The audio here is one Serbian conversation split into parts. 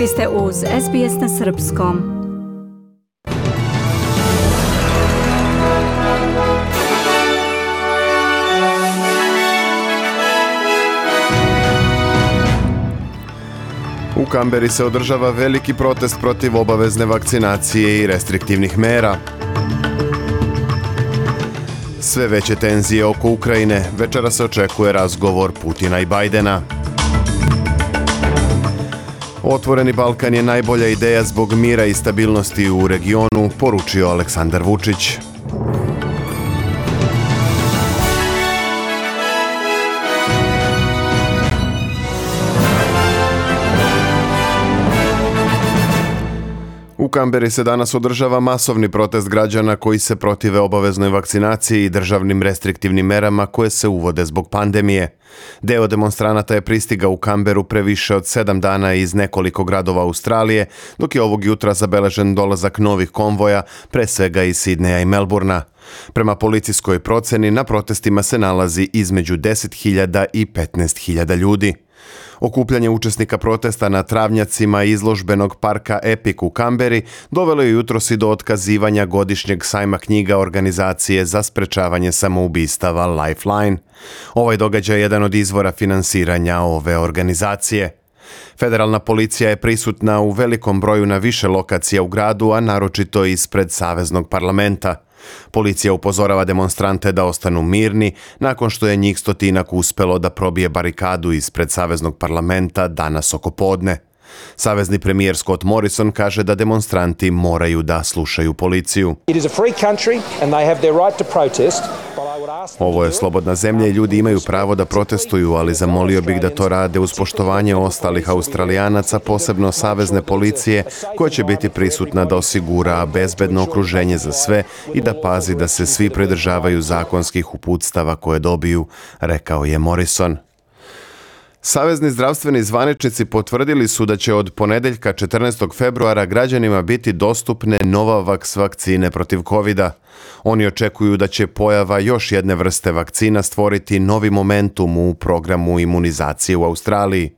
Vi ste uz SBS na srpskom. U Kamberi se održava veliki protest protiv obavezne vakcinacije i restriktivnih mera. Sve veće tenzije oko Ukrajine, večera se očekuje razgovor Putina i Bajdena. Otvoreni Balkan je najbolja ideja zbog mira i stabilnosti u regionu, poručio Aleksandar Vučić. U Kamberi se danas održava masovni protest građana koji se protive obaveznoj vakcinaciji i državnim restriktivnim merama koje se uvode zbog pandemije. Deo demonstranata je pristigao u Kamberu pre više od 7 dana iz nekoliko gradova Australije, dok je ovog jutra zabeležen dolazak novih konvoja, pre svega iz Sidneja i Melburna. Prema policijskoj proceni, na protestima se nalazi između 10.000 i 15.000 ljudi. Okupljanje učesnika protesta na travnjacima izložbenog parka Epic u Kamberi dovelo je jutros i do otkazivanja godišnjeg sajma knjiga organizacije za sprečavanje samoubistava Lifeline. Ovaj događaj je jedan od izvora finansiranja ove organizacije. Federalna policija je prisutna u velikom broju na više lokacija u gradu, a naročito ispred Saveznog parlamenta. Policija upozorava demonstrante da ostanu mirni nakon što je njih 100 uspelo da probije barikadu ispred Saveznog parlamenta danas oko podne. Savezni premijer Scott Morrison kaže da demonstranti moraju da slušaju policiju. Ovo je slobodna zemlja i ljudi imaju pravo da protestuju, ali zamolio bih da to rade uz poštovanje ostalih Australijanaca, posebno savezne policije, koja će biti prisutna da osigura bezbedno okruženje za sve i da pazi da se svi pridržavaju zakonskih uputstava koje dobiju, rekao je Morrison. Savezni zdravstveni zvaničnici potvrdili su da će od ponedeljka 14. februara građanima biti dostupne Novavax vakcine protiv covida. Oni očekuju da će pojava još jedne vrste vakcina stvoriti novi momentum u programu imunizacije u Australiji.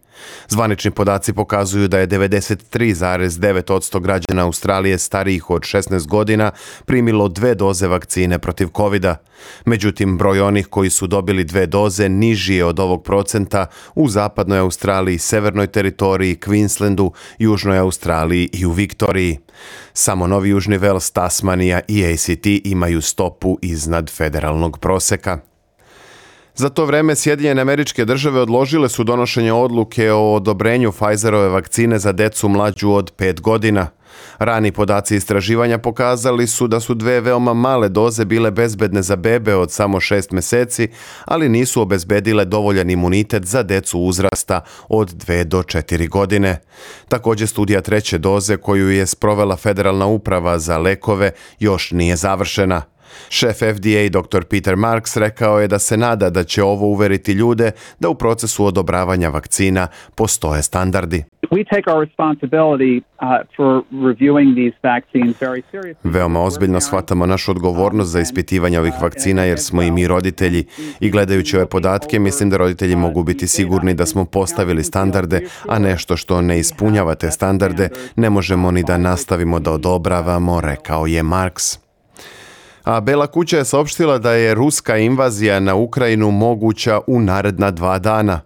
Zvanični podaci pokazuju da je 93,9% građana Australije starijih od 16 godina primilo 2 doze vakcine protiv covida. Međutim, broj onih koji su dobili 2 doze niži je od ovog procenta u zapadnoj Australiji, severnoj teritoriji, Queenslandu, južnoj Australiji i u Viktoriji. Samo Novi Južni Vels, Tasmanija i ACT imaju stopu iznad federalnog proseka. Za to vreme Sjedinjene Američke Države odložile su donošenje odluke o odobrenju Pfizerove vakcine za decu mlađu od 5 godina. Rani podaci istraživanja pokazali su da su 2 veoma male doze bile bezbedne za bebe od samo 6 meseci, ali nisu obezbedile dovoljan imunitet za decu uzrasta od 2 do 4 godine. Također studija 3. doze koju je sprovela Federalna uprava za lekove još nije završena. Šef FDA dr. Peter Marks rekao je da se nada da će ovo uveriti ljude da u procesu odobravanja vakcina postoje standardi. Veoma ozbiljno shvatamo našu odgovornost za ispitivanje ovih vakcina jer smo i mi roditelji i gledajući ove podatke mislim da roditelji mogu biti sigurni da smo postavili standarde, a nešto što ne ispunjava te standarde ne možemo ni da nastavimo da odobravamo, rekao je Marks. A Bela kuća je saopštila da je ruska invazija na Ukrajinu moguća u naredna 2 dana.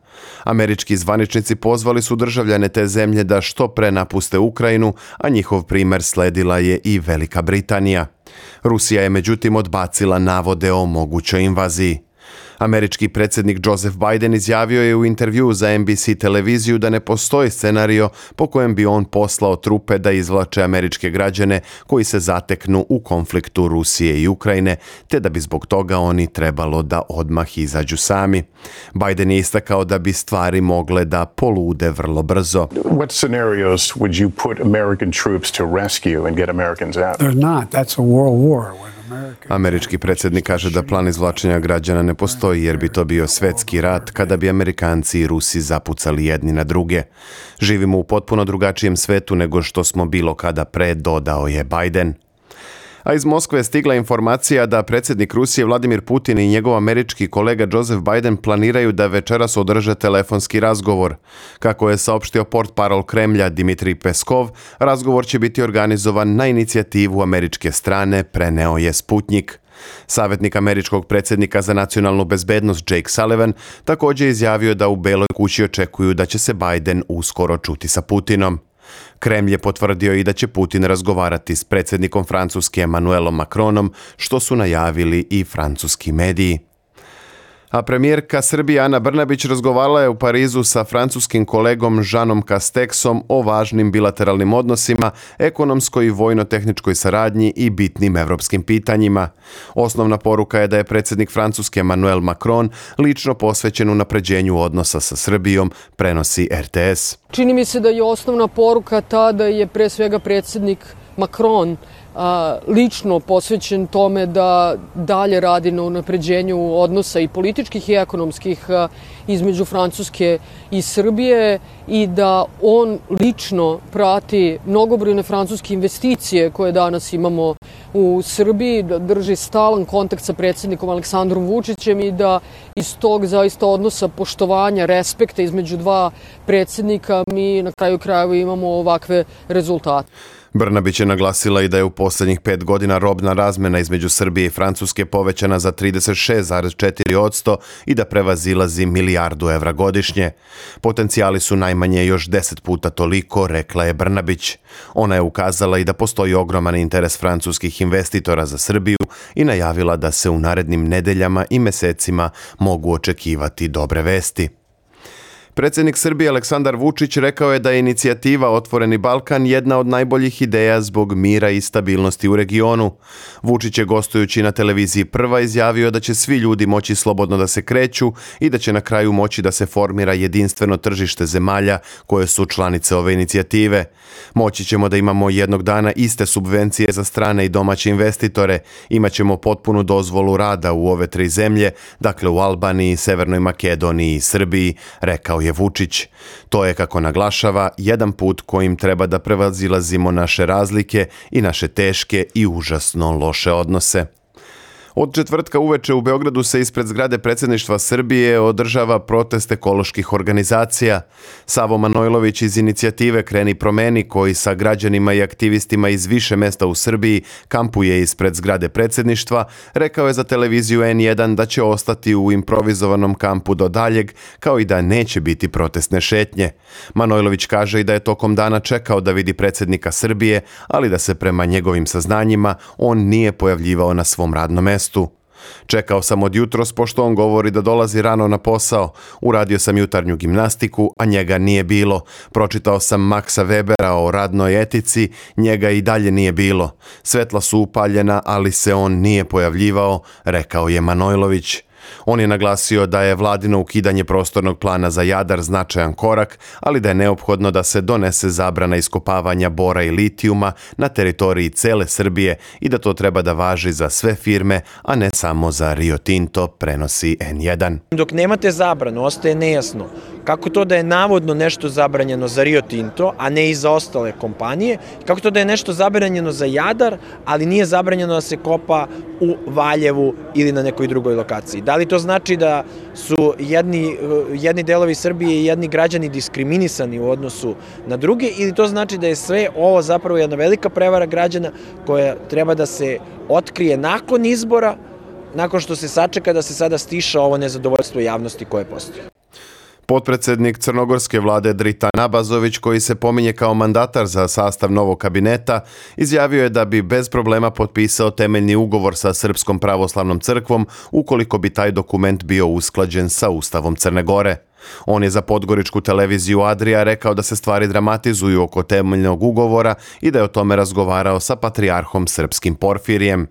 Američki zvaničnici pozvali su državljane te zemlje da što pre napuste Ukrajinu, a njihov primer sledila je i Velika Britanija. Rusija je međutim odbacila navode o mogućoj invaziji. Američki predsjednik Joseph Biden izjavio je u intervjuu za NBC televiziju da ne postoji scenario po kojem bi on poslao trupe da izvlače američke građane koji se zateknu u konfliktu Rusije i Ukrajine, te da bi zbog toga oni trebalo da odmah izađu sami. Biden je istakao da bi stvari mogle da polude vrlo brzo. What scenarios would you put American troops to rescue and get Americans out? They're not. That's a world war. Američki predsjednik kaže da plan izvlačenja građana ne postoji jer bi to bio svetski rat kada bi Amerikanci i Rusi zapucali jedni na druge. Živimo u potpuno drugačijem svetu nego što smo bilo kada pre, dodao je Biden. A iz Moskve je stigla informacija da predsjednik Rusije Vladimir Putin i njegov američki kolega Joseph Biden planiraju da večeras održe telefonski razgovor. Kako je saopštio portparol Kremlja Dmitrij Peskov, razgovor će biti organizovan na inicijativu američke strane, preneo je Sputnik. Savjetnik američkog predsjednika za nacionalnu bezbednost Jake Sullivan također izjavio da u Beloj kući očekuju da će se Biden uskoro čuti sa Putinom. Kremlj je potvrdio i da će Putin razgovarati s predsjednikom Francuske Emmanuelom Macronom, što su najavili i francuski mediji. A premijerka Srbije Ana Brnabić razgovarala je u Parizu sa francuskim kolegom Jeanom Castexom o važnim bilateralnim odnosima, ekonomskoj i vojno-tehničkoj saradnji i bitnim evropskim pitanjima. Osnovna poruka je da je predsjednik Francuske Emmanuel Macron lično posvećen unapređenju odnosa sa Srbijom, prenosi RTS. Čini mi se da je osnovna poruka ta da je pre svega predsjednik Macron lično posvećen tome da dalje radi na unapređenju odnosa i političkih i ekonomskih između Francuske i Srbije i da on lično prati mnogobrojne francuske investicije koje danas imamo u Srbiji, da drži stalan kontakt sa predsjednikom Aleksandrom Vučićem i da iz tog zaista odnosa poštovanja, respekta između dva predsjednika mi na kraju krajeva imamo ovakve rezultate. Brnabić je naglasila i da je u posljednjih 5 godina robna razmjena između Srbije i Francuske povećana za 36,4% i da prevazilazi milijardu evra godišnje. Potencijali su najmanje još 10 puta toliko, rekla je Brnabić. Ona je ukazala i da postoji ogroman interes francuskih investitora za Srbiju i najavila da se u narednim nedeljama i mesecima mogu očekivati dobre vesti. Predsjednik Srbije Aleksandar Vučić rekao je da je inicijativa Otvoreni Balkan jedna od najboljih ideja zbog mira i stabilnosti u regionu. Vučić je gostujući na televiziji Prva izjavio da će svi ljudi moći slobodno da se kreću i da će na kraju moći da se formira jedinstveno tržište zemalja koje su članice ove inicijative. Moći ćemo da imamo jednog dana iste subvencije za strane i domaće investitore, imaćemo potpunu dozvolu rada u ove 3 zemlje, dakle u Albaniji, Severnoj Makedoniji i Srbiji, rekao je Vučić. To je, kako naglašava, jedan put kojim treba da prevazilazimo naše razlike i naše teške i užasno loše odnose. Od četvrtka uveče u Beogradu se ispred zgrade predsjedništva Srbije održava protest ekoloških organizacija. Savo Manojlović iz inicijative Kreni promeni, koji sa građanima i aktivistima iz više mesta u Srbiji kampuje ispred zgrade predsjedništva, rekao je za televiziju N1 da će ostati u improvizovanom kampu do daljeg, kao i da neće biti protestne šetnje. Manojlović kaže i da je tokom dana čekao da vidi predsjednika Srbije, ali da se prema njegovim saznanjima on nije pojavljivao na svom radnom mestu. Čekao sam od jutros pošto on govori da dolazi rano na posao. Uradio sam jutarnju gimnastiku, a njega nije bilo. Pročitao sam Maxa Webera o radnoj etici, njega i dalje nije bilo. Svetla su upaljena, ali se on nije pojavljivao, rekao je Manojlović. On je naglasio da je vladino ukidanje prostornog plana za Jadar značajan korak, ali da je neophodno da se donese zabrana iskopavanja bora i litijuma na teritoriji cele Srbije i da to treba da važi za sve firme, a ne samo za Rio Tinto, prenosi N1. Dok nemate zabranu, ostaje nejasno kako to da je navodno nešto zabranjeno za Rio Tinto, a ne i za ostale kompanije, kako to da je nešto zabranjeno za Jadar, ali nije zabranjeno da se kopa u Valjevu ili na nekoj drugoj lokaciji. Da li to znači da su jedni delovi Srbije i jedni građani diskriminisani u odnosu na druge, ili to znači da je sve ovo zapravo jedna velika prevara građana koja treba da se otkrije nakon izbora, nakon što se sačeka da se sada stiša ovo nezadovoljstvo javnosti koje postoji. Potpredsjednik crnogorske vlade Dritan Abazović, koji se pominje kao mandatar za sastav novog kabineta, izjavio je da bi bez problema potpisao temeljni ugovor sa Srpskom pravoslavnom crkvom ukoliko bi taj dokument bio usklađen sa Ustavom Crne Gore. On je za podgoričku televiziju Adria rekao da se stvari dramatizuju oko temeljnog ugovora i da je o tome razgovarao sa patrijarhom srpskim Porfirijem.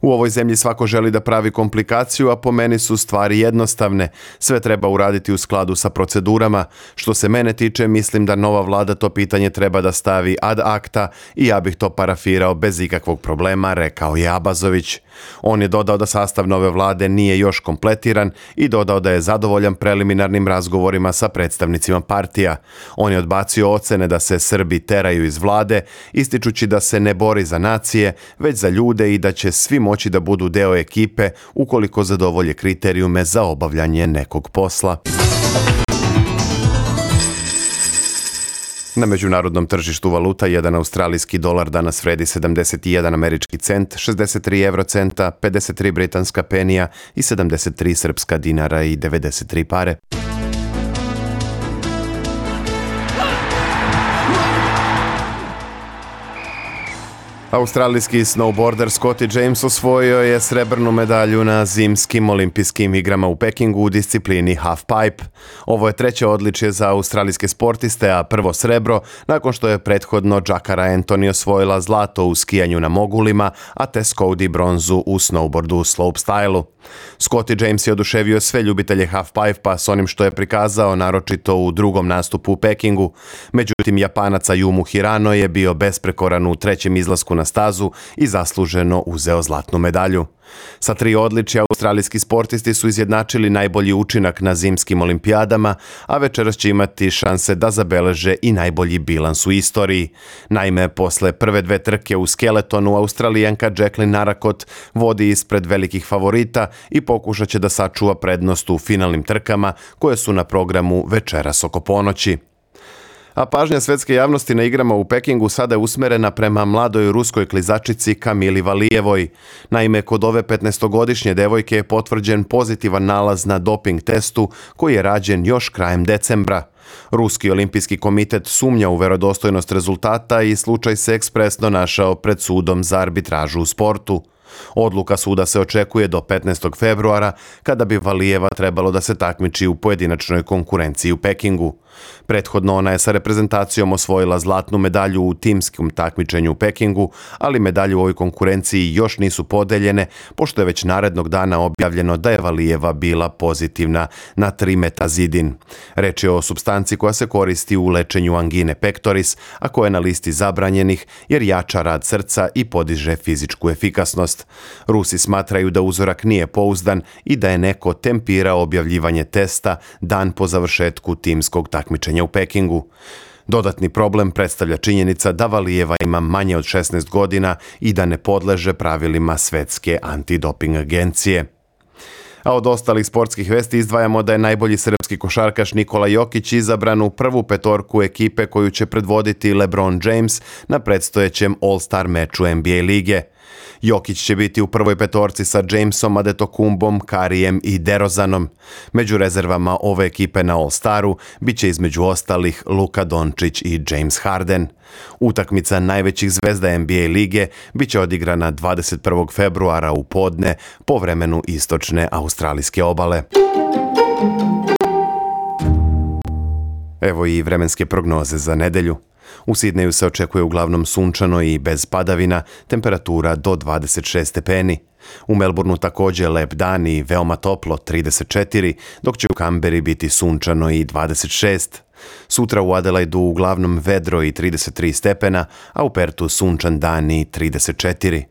U ovoj zemlji svako želi da pravi komplikaciju, a po meni su stvari jednostavne. Sve treba uraditi u skladu sa procedurama. Što se mene tiče, mislim da nova vlada to pitanje treba da stavi ad acta i ja bih to parafirao bez ikakvog problema, rekao je Abazović. On je dodao da sastav nove vlade nije još kompletiran i dodao da je zadovoljan preliminarnim razgovorima sa predstavnicima partija. On je odbacio ocene da se Srbi teraju iz vlade, ističući da se ne bori za nacije, već za ljude i da će svi moći da budu deo ekipe ukoliko zadovolje kriterijume za obavljanje nekog posla. Na međunarodnom tržištu valuta jedan australijski dolar danas vredi 71 američki cent, 63 eurocenta, 53 britanska penija i 73 srpska dinara i 93 pare. Australijski snowboarder Scotty James osvojio je srebrnu medalju na zimskim olimpijskim igrama u Pekingu u disciplini halfpipe. Ovo je treće odličje za australijske sportiste, a prvo srebro nakon što je prethodno Jakara Anthony osvojila zlato u skijanju na mogulima, a Tess Coady bronzu u snowboardu u slopestylu. Scotty James je oduševio sve ljubitelje halfpipe-a s onim što je prikazao, naročito u drugom nastupu u Pekingu. Međutim, Japanac Ayumu Hirano je bio besprekoran u trećem izlasku na stazu i zasluženo uzeo zlatnu medalju. Sa 3 odličja australijski sportisti su izjednačili najbolji učinak na zimskim olimpijadama, a večeras će imati šanse da zabeleže i najbolji bilans u istoriji. Naime, posle prve 2 trke u skeletonu, Australijanka Jacqueline Naracot vodi ispred velikih favorita i pokušat će da sačuva prednost u finalnim trkama koje su na programu večeras oko ponoći. A pažnja svetske javnosti na igrama u Pekingu sada je usmerena prema mladoj ruskoj klizačici Kamili Valijevoj. Naime, kod ove 15-godišnje devojke je potvrđen pozitivan nalaz na doping testu koji je rađen još krajem decembra. Ruski olimpijski komitet sumnja u verodostojnost rezultata i slučaj se ekspresno našao pred sudom za arbitražu u sportu. Odluka suda se očekuje do 15. februara, kada bi Valijeva trebalo da se takmiči u pojedinačnoj konkurenciji u Pekingu. Prethodno ona je sa reprezentacijom osvojila zlatnu medalju u timskom takmičenju u Pekingu, ali medalje u ovoj konkurenciji još nisu podeljene, pošto je već narednog dana objavljeno da je Valijeva bila pozitivna na trimetazidin. Reč je o supstanci koja se koristi u lečenju angine pectoris, a koja je na listi zabranjenih jer jača rad srca i podiže fizičku efikasnost. Rusi smatraju da uzorak nije pouzdan i da je neko tempirao objavljivanje testa dan po završetku timskog takmičenja u Pekingu. Dodatni problem predstavlja činjenica da Valijeva ima manje od 16 godina i da ne podleže pravilima Svetske antidoping agencije. A od ostalih sportskih vesti izdvajamo da je najbolji srpski košarkaš Nikola Jokić izabran u prvu petorku ekipe koju će predvoditi LeBron James na predstojećem All-Star meču NBA lige. Jokić će biti u prvoj petorci sa Jamesom, Adetokumbom, Karijem i DeRozanom. Među rezervama ove ekipe na All-Staru bit će između ostalih Luka Dončić i James Harden. Utakmica najvećih zvezda NBA lige bit će odigrana 21. februara u podne po vremenu istočne australijske obale. Evo i vremenske prognoze za nedelju. U Sidneju se očekuje uglavnom sunčano i bez padavina, temperatura do 26 stepeni. U Melbourneu također lep dan i veoma toplo, 34, dok će u Kamberi biti sunčano i 26. Sutra u Adelaidu uglavnom vedro i 33 stepena, a u Pertu sunčan dan i 34.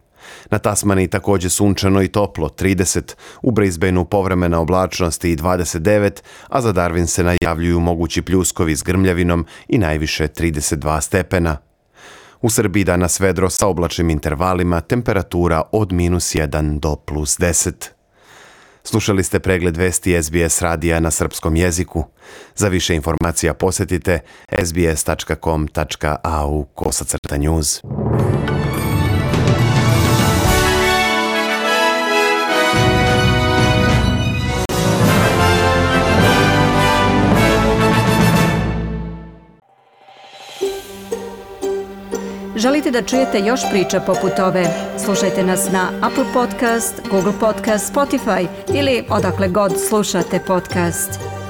Na Tasmaniji također sunčano i toplo, 30, u Brisbaneu povremena oblačnost i 29, a za Darwin se najavljuju mogući pljuskovi s grmljavinom i najviše 32 stepena. U Srbiji danas vedro sa oblačnim intervalima, temperatura od -1 do +10. Slušali ste pregled vesti SBS radija na srpskom jeziku. Za više informacija posjetite sbs.com.au/news. Želite da čujete još priča poput ove? Slušajte nas na Apple Podcast, Google Podcast, Spotify ili odakle god slušate podcast.